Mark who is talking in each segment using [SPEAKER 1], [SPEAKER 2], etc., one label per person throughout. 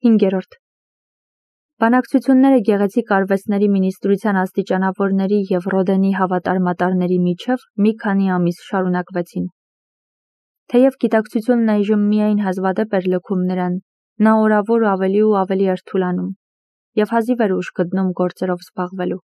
[SPEAKER 1] 5. Բանակցությունները գեղեցիկ արվեստների մինիստրության աստիճանավորների և Ռոդենի հավատարմատարների միջև մի քանի ամիս շարունակվեցին։ Թեև գիտակցությունն այժմ միայն հազվադեպ էր լքում նրան, նա օրավոր ավելի ու ավելի էր թուլանում և հազիվ էր ուժ գտնում գործերով զբաղվելու։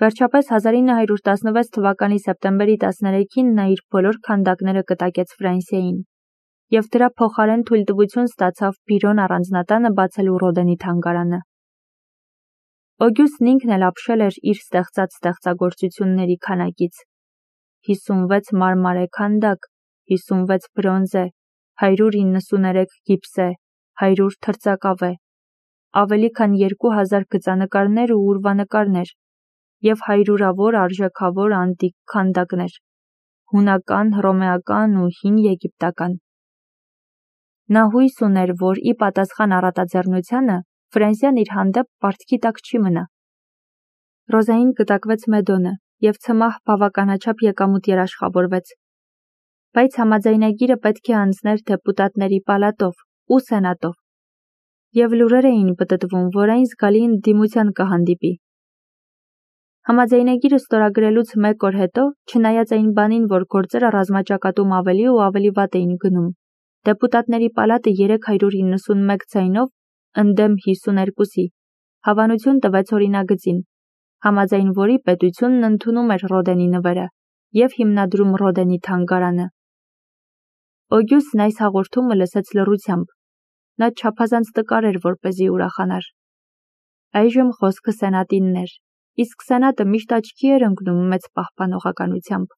[SPEAKER 1] Վերջապես 1916 թվականի սեպտեմբերի 13-ին նա իր բոլոր քանդակները կտակեց Ֆրանսիային և դրա փոխարեն թույլտվություն ստացավ Բիրոն առանձնատանը բացելու Ռոդենի թանգարանը։ Օգյուստն ինքն էլ ապշել էր իր ստեղծած ստեղծագործությունների քանակից. 56 մարմարե քանդակ, 56 բրոնզե, 193 գիպսե, 100 թրծակավե, ավելի քան 2000 գծանկարներ ու ուրվանկարներ և հարյուրավոր արժեքավոր անտիկ քանդակներ՝ հունական, հռոմեական ու հին եգիպտական։ Նա հույս ուներ, որ ի պատասխան առատաձեռնությանը Ֆրանսիան իր հանդեպ պարտքի տակ չի մնա։ Ռոզային կտակվեց Մեդոնը և ցմահ բավականաչափ եկամուտ երաշխավորվեց, բայց համաձայնագիրը պետք է անցներ դեպուտատների պալատով ու սենատով, և լուրեր էին պտտվում, որ այն զգալի ընդդիմության կհանդիպի։ Համաձայնագիրը ստորագրելուց մեկ օր հետո, չնայած այն բանին, որ գործերը ռազմաճակատում ավելի ու ավելի վատ էին գնում, դեպուտատների պալատը 391 ձայնով ընդդեմ 52-ի հավանություն տվեց օրինագծին, համաձայն որի պետությունն ընդունում էր Ռոդենի նվերը և հիմնադրում Ռոդենի թանգարանը։ Օգյուստն այս հաղորդումը լսեց լռությամբ, նա չափազանց տկար էր, որպեսզի ուրախանար։ Այժմ խոսքը սենատինն էր, իսկ սենատը միշտ աչքի էր ընկնում մեծ պահպանողականությամբ։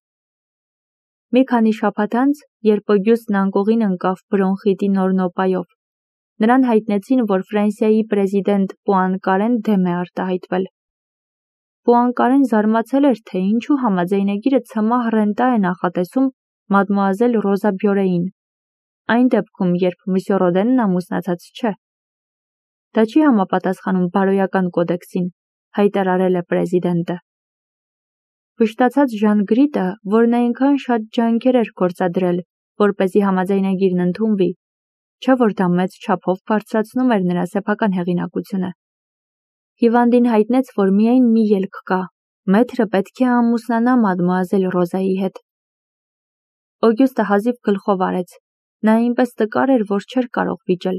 [SPEAKER 1] Մի քանի շաբաթ անց, երբ Օգյուստն անկողին ընկավ բրոնխիտի նոր նոպայով, նրան հայտնեցին, որ Ֆրանսիայի պրեզիդենտ Պուանկարեն դեմ է արտահայտվել։ Պուանկարեն զարմացել էր, թե ինչու համաձայնագիրը ցմահ ռենտա է նախատեսում մադմուազել Ռոզա Բյորեին, այն դեպքում, երբ մսյո Ռոդենն ամուսնացած չէ։ Դա չի համապատասխանում բարոյական կոդեքսին, հայտարարել է պրեզիդենտը։ Վշտացած Ժան Գրիտը, որն այնքան շատ ջանքեր էր գործադրել, որպեսզի համաձայնագիրն ընդունվի, չէ որ դա մեծ չափով բարձրացնում էր նրա սեփական հեղինակությունը։ Հիվանդին հայտնեց, որ միայն մի ելք կա. մեթրը պետք է ամուսնանա մադմուազել Ռոզայի հետ։ Օգյուստը հազիվ գլխով արեց, նա այնպես տկար էր, որ չէր կարող վիճել։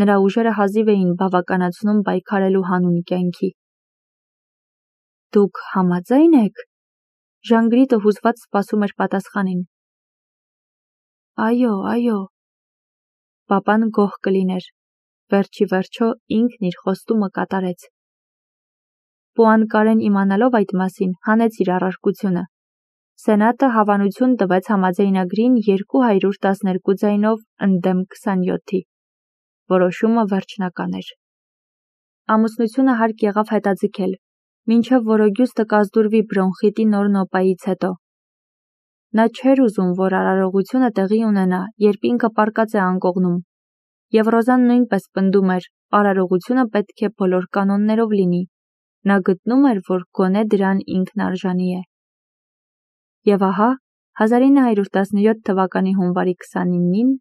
[SPEAKER 1] Նրա ուժերը հազիվ էին բավականացնում պայքարելու հանուն կյանքի։ Դուք համաձայն եք։ Ժան Գրիտը հուզված սպասում էր պատասխանին։ Այո, այո։ Պապան գոհ կլիներ։ Վերջի վերջո ինքն իր խոստումը կատարեց։ Պուանկարեն իմանալով այդ մասին, հանեց իր առարկությունը։ Սենատը հավանություն տվեց համաձայնագրին 212 ձայնով ընդդեմ 27-ի։ Որոշումը վերջնական էր։ Ամուսնությունը հարկ եղավ հետաձգել, մինչև որ Օգյուստը կազդուրվի բրոնխիտի նոր նոպայից հետո։ Նա չէր ուզում, որ արարողությունը տեղի ունենա, երբ ինքը պառկած է անկողնում, և Ռոզան նույնպես պնդում էր, արարողությունը պետք է բոլոր կանոններով լինի։ Նա գտնում էր, որ գոնե դրան ինքն արժանի է։ Եվ ահա 1917 թվականի հունվարի 29-ին,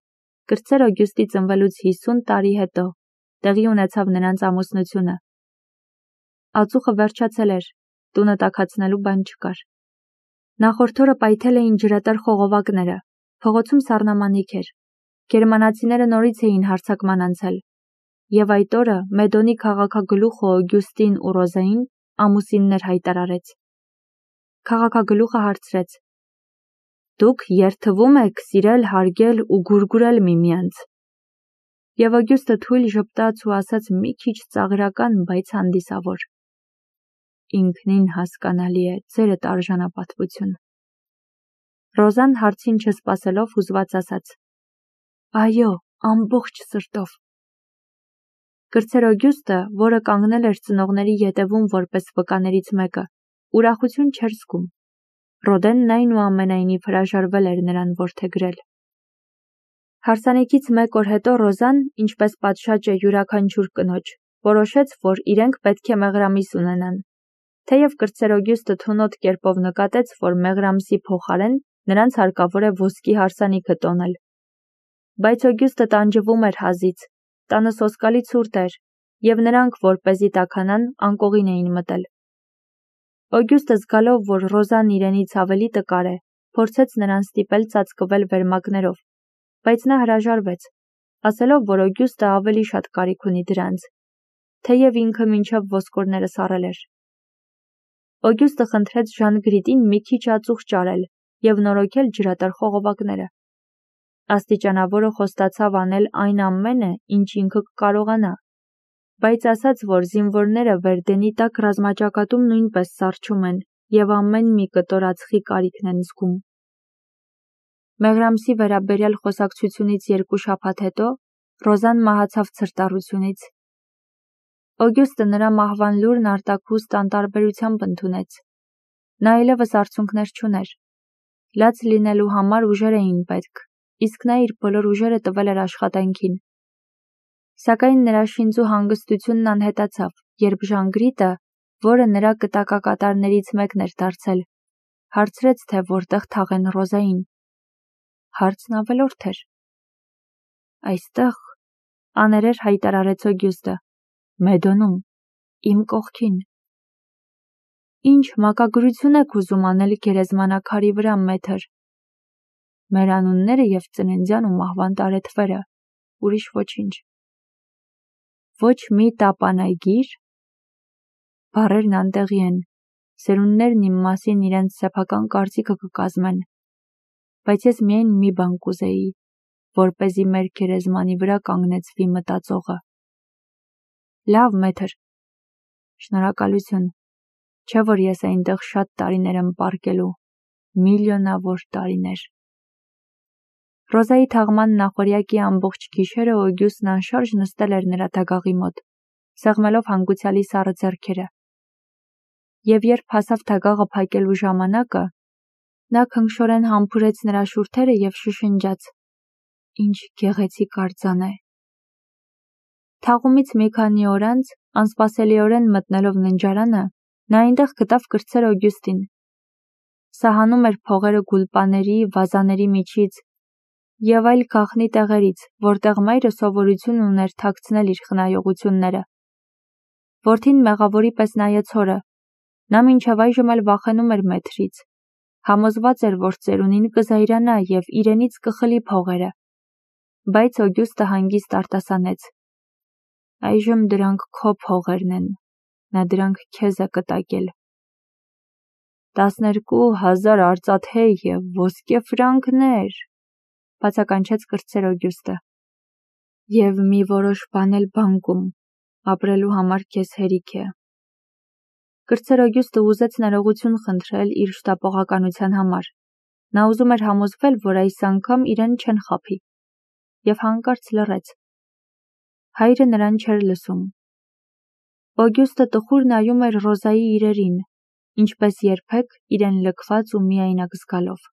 [SPEAKER 1] կրտսեր Օգյուստի ծնվելուց 50 տարի հետո, տեղի ունեցավ նրանց ամուսնությունը։ Ածուխը վերջացել էր, տունը տաքացնելու բան չկար։ Նախորդ օրը պայթել էին ջրատար խողովակները, փողոցում սառնամանիք էր։ Գերմանացիները նորից էին հարձակման անցել, և այդ օրը Մեդոնի քաղաքագլուխը Օգյուստին ու Ռոզային ամուսիններ հայտարարեց։ Քաղաքագլուխը հարցրեց. Դուք երթվում եք սիրել, հարգել ու գուրգուրել միմյանց։ Եվ Օգյուստը թույլ ժպտաց ու ասաց մի քիչ ծաղրական, բայց հանդիսավոր. Ինքնին հասկանալի է, ձերդ արժանապատվություն։ Ռոզան հարցին չսպասելով հուզված ասաց. Այո, ամբողջ սրտով։ Կրտսեր Օգյուստը, որը կանգնել էր ծնողների ետևում որպես վկաներից մեկը, ուրախություն չէր զգում։ Ռոդենն այնուամենայնիվ հրաժարվել էր նրան որդեգրել։ Հարսանիքից մեկ օր հետո Ռոզան, ինչպես պատշաճ է յուրաքանչյուր կնոջ, որոշեց, որ իրենք պետք է մեղրամիս ունենան։ Թեև կրտսեր Օգյուստը թունոտ կերպով նկատեց, որ մեղրամսի փոխարեն նրանց հարկավոր է ոսկի հարսանիքը տոնել։ Բայց Օգյուստը տանջվում էր հազից, Տանը սոսկալի ցուրտ էր, և նրանք, որպեսզի տաքանան, անկողին էին մտել։ Օգյուստը զգալով, որ Ռոզան իրենից ավելի տկար է, փորձեց նրան ստիպել ծածկվել վերմակներով, բայց նա հրաժարվեց, ասելով, որ Օգյուստը ավելի շատ կարիք ունի դրանց, թեև ինքը մինչև ոսկորները սառել էր։ Օգյուստը խնդրեց Ժան Գրիտին մի քիչ ածուխ ճարել և նորոգել ջրատար խողովակները։ Աստիճանավորը խոստացավ անել այն ամենը, ինչ ինքը կկարողանա, բայց ասաց, որ զինվորները Վերդենի տակ ռազմաճակատում նույնպես սառչում են և ամեն մի կտոր ածխի կարիքն են զգում։ Մեղրամսի վերաբերյալ խոսակցությունից 2 շաբաթ հետո Ռոզան մահացավ ցրտառությունից։ Օգյուստը նրա մահվան լուրն արտաքուստ անտարբերությամբ ընդունեց։ Նա այլևս արցունքներ չուներ։ Լաց լինելու համար ուժեր էին պետք, իսկ նա իր բոլոր ուժերը տվել էր աշխատանքին։ Սակայն նրա շինծու հանգստությունն անհետացավ, երբ Ժան Գրիտը, որը նրա կտակակատարներից մեկն էր դարձել, հարցրեց, թե որտեղ թաղեն Ռոզային։ Հարցն ավելորդ էր։ Այստեղ, աներեր հայտարարեց Օգյուստը, Մեդոնում, իմ կողքին։ Ինչ մակագրություն եք ուզում անել գերեզմանակարի վրա, մեթր։ Մեր անունները և ծննդյան ու մահվան տարեթվերը, ուրիշ ոչինչ։ Ոչ մի տապանագիր։ Բառերն անտեղի են, սերունդներն իմ մասին իրենց սեփական կարծիքը կկազմեն, բայց ես միայն մի բան կուզեի, որպեսզի մեր գերեզմանի վրա կանգնեցվի մտածողը։ Լավ, մեթր։ Շնորհակալություն, չէ որ ես այնտեղ շատ տարիներ եմ պառկելու, միլիոնավոր տարիներ։ Ռոզայի թաղման նախօրյակի ամբողջ գիշերը Օգյուստն անշարժ նստել էր նրա դագաղի մոտ, սեղմելով հանգուցյալի սառը ձեռքերը։ Եվ երբ հասավ դագաղը փակելու ժամանակը, նա քնքշորեն համբուրեց նրա շուրթերը և շշնջաց. Ինչ գեղեցիկ արձան է։ Թաղումից մի քանի օր անց, անսպասելիորեն մտնելով ննջարանը, նա այնտեղ գտավ կրտսեր Օգյուստին։ Սահանում էր փողերը գուլպաների, վազաների միջից և այլ գաղտնի տեղերից, որտեղ մայրը սովորություն ուներ թաքցնել իր խնայողությունները։ Որդին մեղավորի պես նայեց հորը։ Նա մինչև այժմ էլ վախենում էր մեթրից։ Համոզված էր, որ ծերունին կզայրանա և իրենից կխլի փողերը։ Բայց Օգյուստը հանգիստ արտասանեց. Այժմ դրանք քո փողերն են, նա դրանք քեզ է կտակել։ 12,000 արծաթե և ոսկե ֆրանկներ, բացականչեց կրտսեր Օգյուստը։ Եվ մի որոշ բան էլ բանկում, ապրելու համար քեզ հերիք է։ Կրտսեր Օգյուստը ուզեց ներողություն խնդրել իր շտապողականության համար։ Նա ուզում էր համոզվել, որ այս անգամ իրեն չեն խաբի, և հանկարծ լռեց։ Հայրը նրան չէր լսում։ Օգյուստը տխուր նայում էր Ռոզայի իրերին, ինչպես երբեք իրեն լքված ու միայնակ զգալով։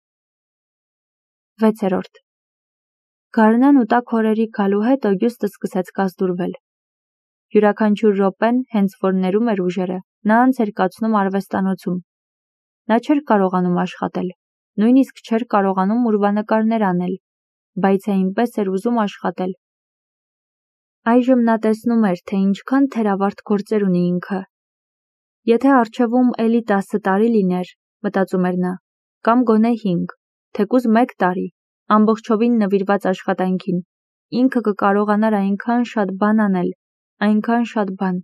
[SPEAKER 1] 6. Գարնան ու տաք օրերի գալու հետ Օգյուստը սկսեց կազդուրվել։ Յուրաքանչյուր րոպեն, հենց որ ներում էր ուժերը, նա անց էր կացնում արվեստանոցում։ Նա չէր կարողանում աշխատել, նույնիսկ չէր կարողանում ուրվանկարներ անել, բայց այնպես էր ուզում աշխատել։ Այժմ նա տեսնում էր, թե ինչքան թերավարտ գործեր ունի ինքը։ Եթե առջևում էլի 10 տարի լիներ, մտածում էր նա, կամ գոնե 5, թեկուզ 1 տարի, ամբողջովին նվիրված աշխատանքին, ինքը կկարողանար այնքան շատ բան անել, այնքան շատ բան։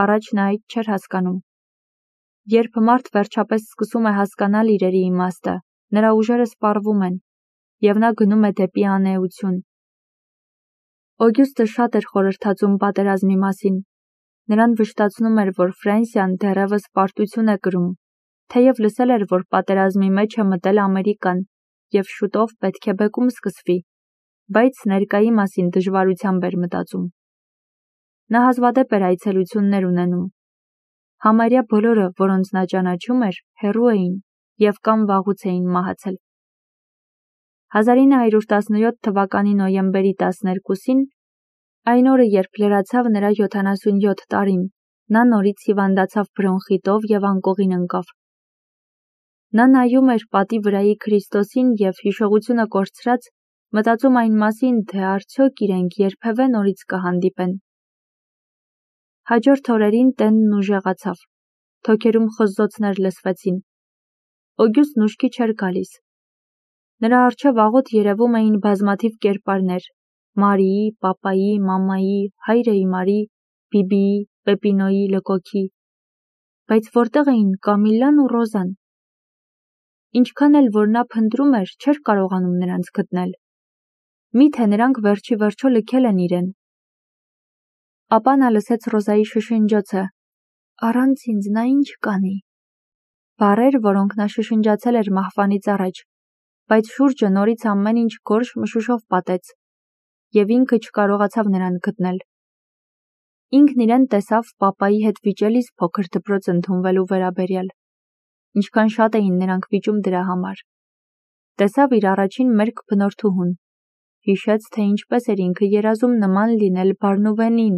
[SPEAKER 1] Առաջ նա այդ չէր հասկանում։ Երբ մարդ վերջապես սկսում է հասկանալ իրերի իմաստը, նրա ուժերը սպառվում են, և նա գնում է դեպի անէություն։ Օգյուստը շատ էր խորհրդածում պատերազմի մասին։ Նրան վշտացնում էր, որ Ֆրանսիան դեռևս պարտություն է կրում, թեև լսել էր, որ պատերազմի մեջ է մտել Ամերիկան, և շուտով պետք է բեկում սկսվի, բայց ներկայի մասին դժվարությամբ էր մտածում։ Նա հազվադեպ էր այցելություններ ունենում։ Համարյա բոլորը, որոնց նա ճանաչում էր, հեռու էին և կամ վաղուց էին մահացել։ 1917 թվականի նոյեմբերի 12-ին, այն օրը, երբ լրացավ նրա 77 տարին, նա նորից հիվանդացավ բրոնխիտով և անկողին ընկավ։ Նա նայում էր պատի վրայի Քրիստոսին և հիշողությունը կորցրած մտածում այն մասին, թե արդյոք իրենք երբևէ նորից կհանդիպեն։ Հաջորդ օրերին տենն ուժեղացավ, թոքերում խզզոցներ լսվեցին։ Օգյուստն ուշքի չէր գալիս։ Նրա առջև աղոտ երևում էին բազմաթիվ կերպարներ՝ Մարիի, պապայի, մամայի, հայրը Իմարի, Բիբիի, Պեպինոյի, Լկոքի։ Բայց որտեղ էին Կամիլլան ու Ռոզան։ Ինչքան էլ որ նա փնտրում էր, չէր կարողանում նրանց գտնել։ Միթե նրանք վերջի վերջո լքել են իրեն։ Ապա նա լսեց Ռոզայի շշնջոցը. «Առանց ինձ նա ինչ կանի»։ Բառեր, որոնք նա շշնջացել էր մահվանից առաջ, բայց շուրջը նորից ամեն ինչ գորշ մշուշով պատեց, և ինքը չկարողացավ նրան գտնել։ Ինքն իրեն տեսավ պապայի հետ վիճելիս փոքր դպրոց ընդունվելու վերաբերյալ, ինչքան շատ էին նրանք վիճում դրա համար։ Տեսավ իր առաջին մերկ բնորդուհուն, հիշեց, թե ինչպես էր ինքը երազում նման լինել Բարնուվենին,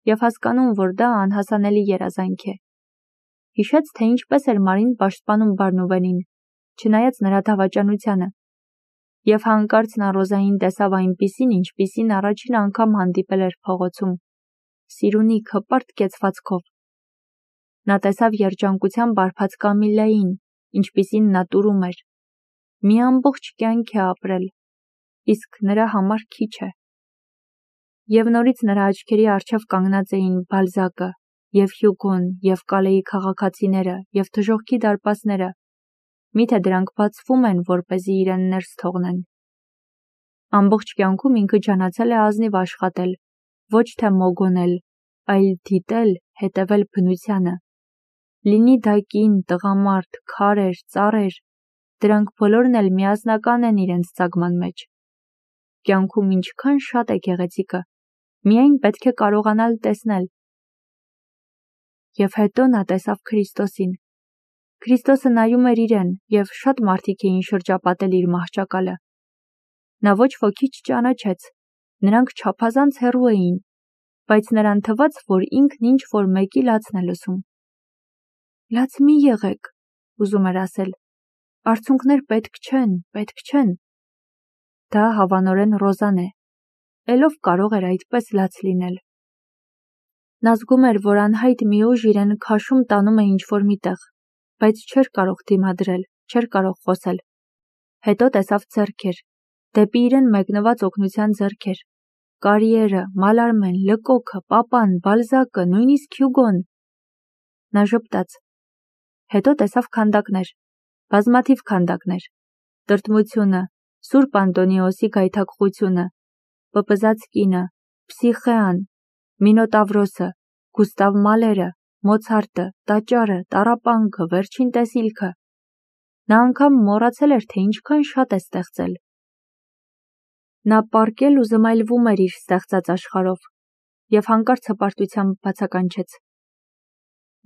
[SPEAKER 1] և հասկանում, որ դա անհասանելի երազանք է։ Հիշեց, թե ինչպես էր Մարին պաշտպանում Բարնուվենին, չնայած նրա դավաճանությանը, և հանկարծ նա Ռոզային տեսավ այնպիսին, ինչպիսին առաջին անգամ հանդիպել էր փողոցում, սիրունիկ հպարտ կեցվածքով։ Նա տեսավ երջանկությամբ արբած Կամիլլային, ինչպիսին նա տուրում էր։ Մի ամբողջ կյանք է ապրել, իսկ նրա համար քիչ է։ Եվ նորից նրա աչքերի առջև կանգնած էին Բալզակը, և Հյուգոն, և Կալեի քաղաքացիները, և դժոխքի դարպասները։ Միթե դրանք բացվում են, որպեսզի իրեն ներս թողնեն։ Ամբողջ կյանքում ինքը ջանացել է ազնիվ աշխատել, ոչ թե մոգոնել, այլ դիտել, հետևել բնությանը։ Լինի դա կին, տղամարդ, քարեր, ծառեր, դրանք բոլորն էլ միասնական են իրենց ծագման մեջ։ Կյանքում ինչքան շատ է գեղեցիկը, միայն պետք է կարողանալ տեսնել։ Եվ հետո նա տեսավ Քրիստոսին։ Քրիստոսը նայում էր իրեն, և շատ մարդիկ էին շրջապատել իր մահճակալը։ Նա ոչ ոքի չճանաչեց, նրանք չափազանց հեռու էին, բայց նրան թվաց, որ ինքն ինչ-որ մեկի լացն է լսում։ «Լաց մի եղեք», ուզում էր ասել, «արցունքներ պետք չեն»։ Դա հավանորեն Ռոզան է, էլով կարող էր այդպես լաց լինել։ Նա զգում էր, որ անհայտ մի ուժ իրեն քաշում տանում է ինչ-որ մի տեղ, բայց չէր կարող դիմադրել, չէր կարող խոսել։ Հետո տեսավ ձեռքեր, դեպի իրեն մեկնված օգնության ձեռքեր։ Կարիերը, Մալարմեն, Լկոքը, պապան, Բալզակը, նույնիսկ Հյուգոն։ Նա ժպտաց։ Հետո տեսավ քանդակներ, բազմաթիվ քանդակներ, տրտմությունը, Սուրբ Անտոնիոսի գայթակղությունը, պպզած կինը, Փսիխեան, Մինոտավրոսը, Գուստավ Մալերը, Մոցարտը, տաճարը, տառապանքը, վերջին տեսիլքը։ Նա անգամ մոռացել էր, թե ինչքան շատ է ստեղծել։ Նա պառկել ու զմայլվում էր իր ստեղծած աշխարհով, և հանկարծ հպարտությամբ բացականչեց.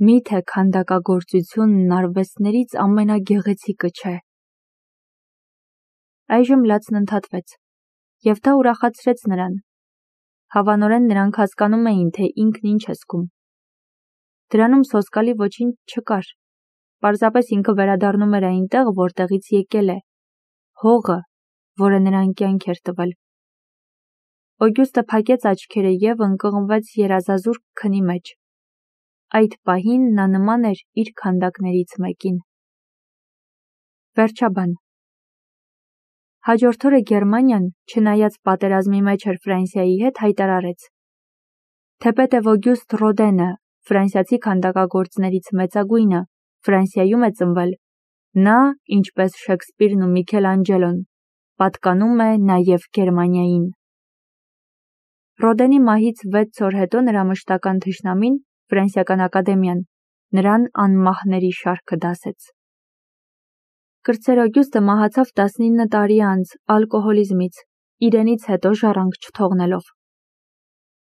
[SPEAKER 1] Միթե քանդակագործությունն արվեստներից ամենագեղեցիկը չէ։ Այժմ լացն ընդհատվեց, և դա ուրախացրեց նրան։ Հավանորեն նրանք հասկանում էին, թե ինքն ինչ է զգում։ Դրանում սոսկալի ոչինչ չկար։ Պարզապես ինքը վերադառնում էր այնտեղ, որտեղից եկել է, հողը, որը նրան կյանք էր տվել։ Օգյուստը փակեց աչքերը և ընկղմվեց երազազուրկ քնի մեջ։ Այդ պահին նա նման էր իր քանդակներից մեկին։ Վերջաբան։ Հաջորդ օրը Գերմանիան, չնայած պատերազմի մեջ էր Ֆրանսիայի հետ, հայտարարեց. թեպետև Օգյուստ Ռոդենը, ֆրանսիացի քանդակագործներից մեծագույնը, Ֆրանսիայում է ծնվել, նա, ինչպես Շեքսպիրն ու Միքելանջելոն, պատկանում է նաև Գերմանիային։ Ռոդենի մահից 6 օր հետո նրա մշտական թշնամին, Ֆրանսիական ակադեմիան, նրան անմահների շարքը դասեց։ Կրտսեր Օգյուստը մահացավ 19 տարի անց ալկոհոլիզմից, իրենից հետո ժառանգ չթողնելով։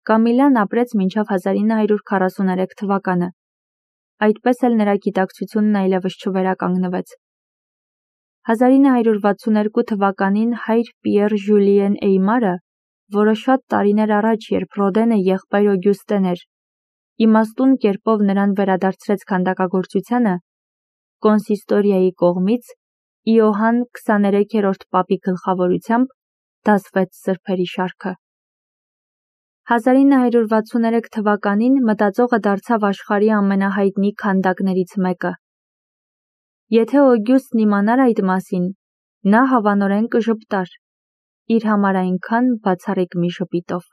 [SPEAKER 1] Կամիլլան ապրեց մինչև 1943 թվականը։ Այդպես էլ նրա գիտակցությունն այլևս չվերականգնվեց։ 1962 թվականին հայր Պիեր Ժյուլիեն Էյմարը, որը շատ տարիներ առաջ, երբ Ռոդենը եղբայր Օգյուստեն էր, իմաստուն կերպով նրան վերադարձրեց քանդակագործությանը, կոնսիստորիայի կողմից Իոհան 23-րդ պապի գլխավորությամբ դասվեց սրբերի շարքը։ 1963 թվականին մտածողը դարձավ աշխարհի ամենահայտնի քանդակներից մեկը։ Եթե Օգյուստն իմանար այդ մասին, նա հավանորեն կժպտար, իր համար այնքան բացառիկ մի ժպիտով։